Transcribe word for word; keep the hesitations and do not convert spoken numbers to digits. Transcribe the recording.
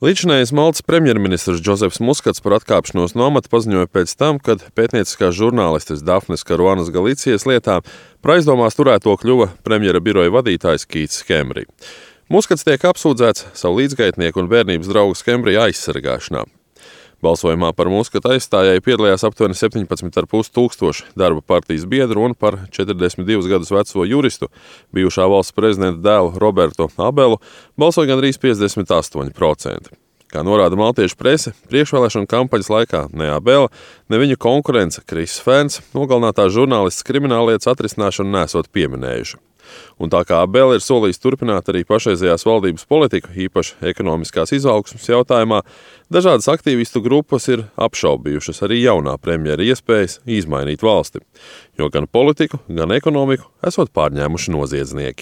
Līdzinājais Maltas premjerministrs Džozefs Muskats par atkāpšanos no amata paziņoja pēc tam, kad pētnieciskās žurnālistes Dafnes Karuanas Galicijas lietā par aizdomās turēto kļuva premjera biroja vadītājs Kīts Skembri. Muskats tiek apsūdzēts savu līdzgaitnieku un bērnības draugu Skembri aizsargāšanā. Balsojumā par Muskata aizstājēju piedalījās aptuveni septiņpadsmit ar pus tūkstoši darba partijas biedru un par četrdesmit divus gadus veco juristu, bijušā valsts prezidenta dēlu Robertu Abelu, balsoja gandrīz piecdesmit astoņi procenti. Kā norāda maltiešu prese, priekšvēlēšanu kampaņas laikā ne Abela, ne viņa konkurence Kris Ferns nogalinātās žurnālistes krimināllietas atrisināšanu nesot pieminējuši. Un tā kā Abela ir solījis turpināt arī pašreizējās valdības politiku, īpaši ekonomiskās izaugsmes jautājumā, dažādas aktīvistu grupas ir apšaubījušas arī jaunā premjera iespējas izmainīt valsti, jo gan politiku, gan ekonomiku esot pārņēmuši noziedznieki.